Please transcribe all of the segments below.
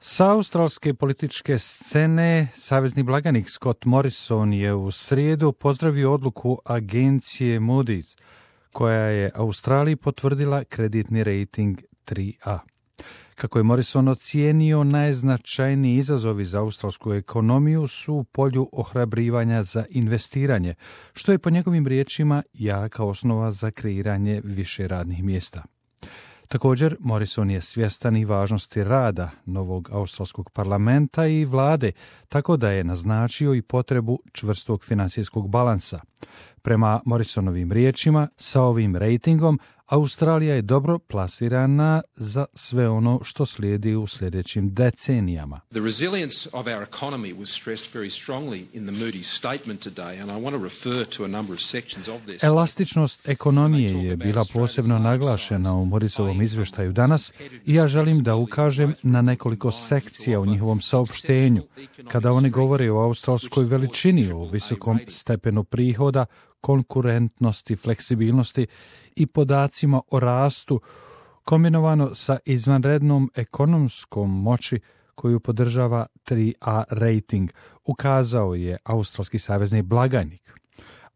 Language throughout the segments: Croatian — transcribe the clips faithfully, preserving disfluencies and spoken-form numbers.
Sa australske političke scene savezni blagajnik Scott Morrison je u srijedu pozdravio odluku agencije Moody's, koja je Australiji potvrdila kreditni rejting tri A. Kako je Morrison ocijenio, najznačajniji izazovi za australsku ekonomiju su u polju ohrabrivanja za investiranje, što je po njegovim riječima jaka osnova za kreiranje više radnih mjesta. Također, Morrison je svjestan i važnosti rada novog australskog parlamenta i vlade, tako da je naznačio i potrebu čvrstog financijskog balansa. Prema Morrisonovim riječima, sa ovim rejtingom Australija je dobro plasirana za sve ono što slijedi u sljedećim decenijama. The resilience of our economy was stressed very strongly in the Moody's statement today, and I want to refer to a number of sections of this. Elastičnost ekonomije je bila posebno naglašena u Morrisovom izvještaju danas i ja želim da ukažem na nekoliko sekcija u njihovom saopštenju. Kada oni govore o australskoj veličini, o visokom stepenu prihoda, konkurentnosti, fleksibilnosti i podacima o rastu, kombinovano sa izvanrednom ekonomskom moći koju podržava tri A rating, ukazao je australski savezni blagajnik.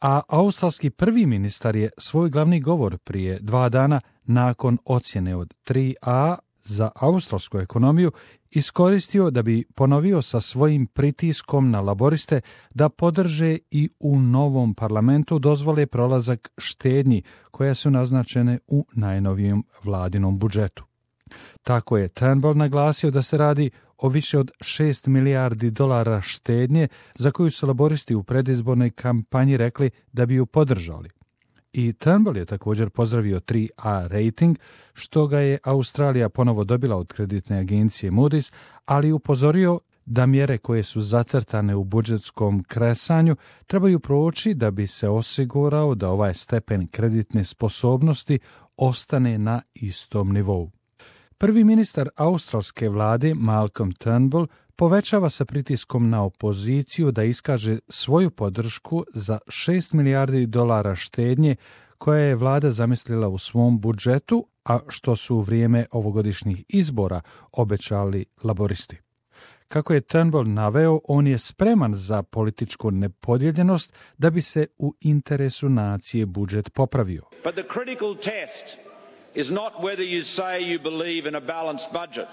A australski prvi ministar je svoj glavni govor prije dva dana nakon ocjene od tri A za australsku ekonomiju iskoristio da bi ponovio sa svojim pritiskom na laboriste da podrže i u novom parlamentu dozvole prolazak štednji koje su naznačene u najnovijem vladinom budžetu. Tako je Turnbull naglasio da se radi o više od šest milijardi dolara štednje za koju su laboristi u predizbornoj kampanji rekli da bi ju podržali. I Turnbull je također pozdravio tri A rating, što ga je Australija ponovo dobila od kreditne agencije Moody's, ali upozorio da mjere koje su zacrtane u budžetskom kresanju trebaju proći da bi se osigurao da ovaj stepen kreditne sposobnosti ostane na istom nivou. Prvi ministar australske vlade Malcolm Turnbull povećava sa pritiskom na opoziciju da iskaže svoju podršku za šest milijardi dolara štednje koje je vlada zamislila u svom budžetu, a što su u vrijeme ovogodišnjih izbora obećali laboristi. Kako je Turnbull naveo, on je spreman za političku nepodijeljenost da bi se u interesu nacije budžet popravio. But the critical test is not whether you say you believe in a balanced budget.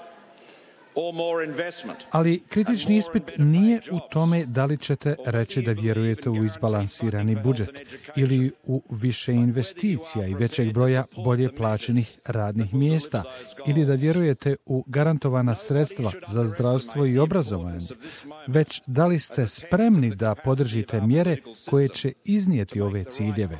Ali kritični ispit nije u tome da li ćete reći da vjerujete u izbalansirani budžet ili u više investicija i većeg broja bolje plaćenih radnih mjesta ili da vjerujete u garantovana sredstva za zdravstvo i obrazovanje, već da li ste spremni da podržite mjere koje će iznijeti ove ciljeve.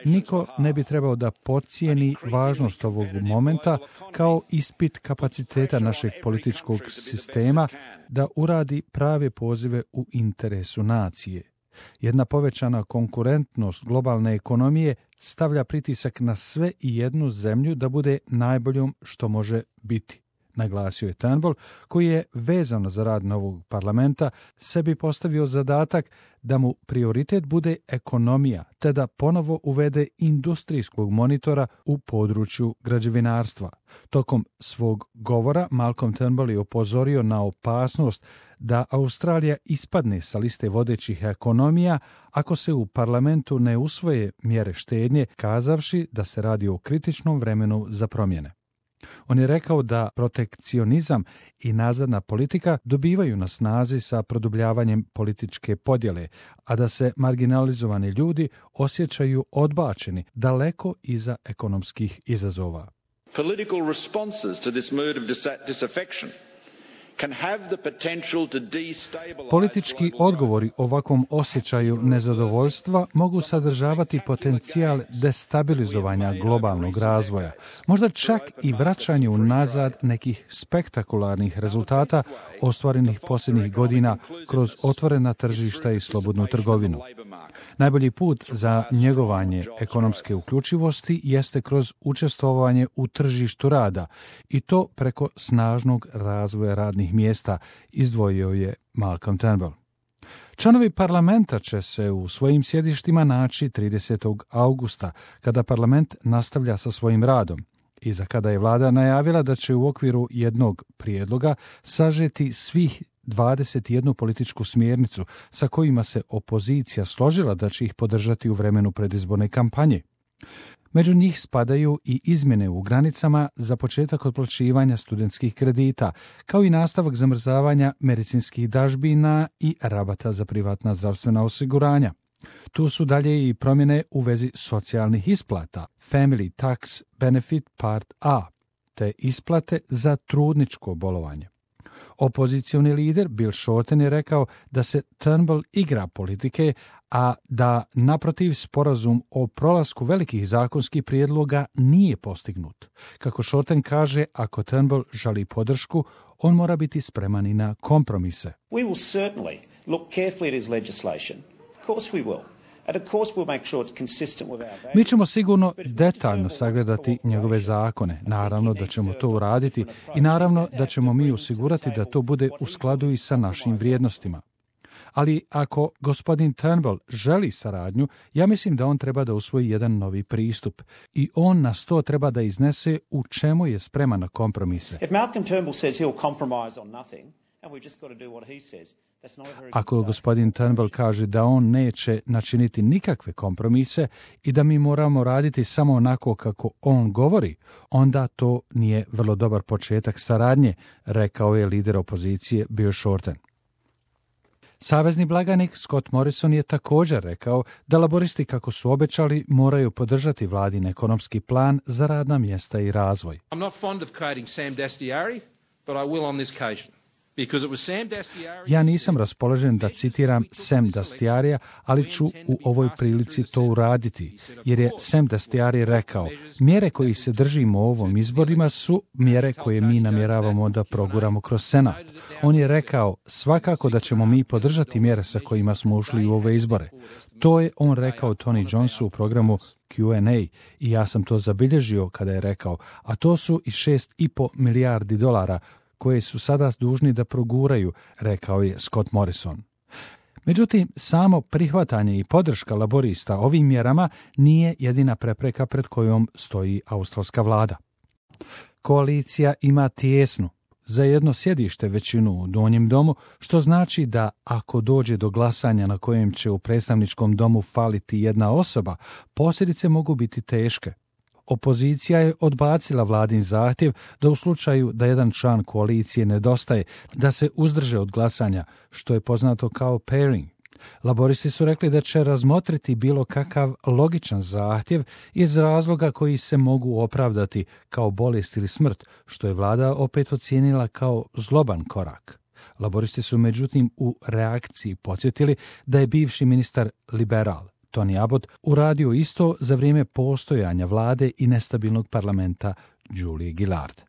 Niko ne bi trebao da podcijeni važnost ovog momenta kao ispit kapaciteta našeg političkog sistema da uradi prave pozive u interesu nacije. Jedna povećana konkurentnost globalne ekonomije stavlja pritisak na sve i jednu zemlju da bude najboljom što može biti, naglasio je Turnbull, koji je vezano za rad novog parlamenta sebi postavio zadatak da mu prioritet bude ekonomija, te da ponovo uvede industrijskog monitora u području građevinarstva. Tokom svog govora Malcolm Turnbull je upozorio na opasnost da Australija ispadne sa liste vodećih ekonomija ako se u parlamentu ne usvoje mjere štednje, kazavši da se radi o kritičnom vremenu za promjene. On je rekao da protekcionizam i nazadna politika dobivaju na snazi sa produbljavanjem političke podjele, a da se marginalizovani ljudi osjećaju odbačeni daleko iza ekonomskih izazova. Political responses to this mood of disaffection can have the potential to destabilize. Politički odgovori ovakvom osjećaju nezadovoljstva mogu sadržavati potencijal destabilizovanja globalnog razvoja, možda čak i vraćanje unazad nekih spektakularnih rezultata ostvarenih posljednjih godina kroz otvorena tržišta i slobodnu trgovinu. Najbolji put za njegovanje ekonomske uključivosti jeste kroz učestvovanje u tržištu rada i to preko snažnog razvoja radnih mjesta, izdvojio je Malcolm Turnbull. Članovi parlamenta će se u svojim sjedištima naći tridesetog augusta, kada parlament nastavlja sa svojim radom. iza kada je vlada najavila da će u okviru jednog prijedloga sažeti svih dvadeset jednu političku smjernicu sa kojima se opozicija složila da će ih podržati u vremenu predizborne kampanje. Među njih spadaju i izmjene u granicama za početak otplaćivanja studentskih kredita, kao i nastavak zamrzavanja medicinskih dažbina i rabata za privatna zdravstvena osiguranja. Tu su dalje i promjene u vezi socijalnih isplata, Family Tax Benefit Part A, te isplate za trudničko bolovanje. Opozicioni lider Bill Shorten je rekao da se Turnbull igra politike, a da naprotiv sporazum o prolasku velikih zakonskih prijedloga nije postignut. Kako Shorten kaže, ako Turnbull želi podršku, on mora biti spreman i na kompromise. We will certainly look carefully at his legislation. Of course we will. Mi ćemo sigurno detaljno sagledati njegove zakone. Naravno da ćemo to uraditi i naravno da ćemo mi osigurati da to bude u skladu i sa našim vrijednostima. Ali ako gospodin Turnbull želi saradnju, ja mislim da on treba da usvoji jedan novi pristup i on nas to treba da iznese u čemu je spreman na kompromise. Ako gospodin Turnbull kaže da on neće načiniti nikakve kompromise i da mi moramo raditi samo onako kako on govori, onda to nije vrlo dobar početak saradnje, rekao je lider opozicije Bill Shorten. Savezni blagajnik Scott Morrison je također rekao da laboristi, kako su obećali, moraju podržati vladin ekonomski plan za radna mjesta i razvoj. I'm not fond of quoting Sam Dastyari, but I will on this occasion. Ja nisam raspoložen da citiram Sam Dastyarija, ali ću u ovoj prilici to uraditi, jer je Sam Dastyari rekao, mjere koji se držimo u ovom izborima su mjere koje mi namjeravamo da proguramo kroz Senat. On je rekao, svakako da ćemo mi podržati mjere sa kojima smo ušli u ove izbore. To je on rekao Tony Johnsu u programu Q and A i ja sam to zabilježio kada je rekao, a to su i šest i po milijardi dolara koje su sada dužni da proguraju, rekao je Scott Morrison. Međutim, samo prihvatanje i podrška laborista ovim mjerama nije jedina prepreka pred kojom stoji australska vlada. Koalicija ima tijesnu, za jedno sjedište većinu u donjem domu, što znači da ako dođe do glasanja na kojem će u predstavničkom domu faliti jedna osoba, posljedice mogu biti teške. Opozicija je odbacila vladin zahtjev da u slučaju da jedan član koalicije nedostaje, da se uzdrže od glasanja, što je poznato kao pairing. Laboristi su rekli da će razmotriti bilo kakav logičan zahtjev iz razloga koji se mogu opravdati kao bolest ili smrt, što je vlada opet ocijenila kao zloban korak. Laboristi su međutim u reakciji podsjetili da je bivši ministar liberal Tony Abbott uradio isto za vrijeme postojanja vlade i nestabilnog parlamenta Julie Gillard.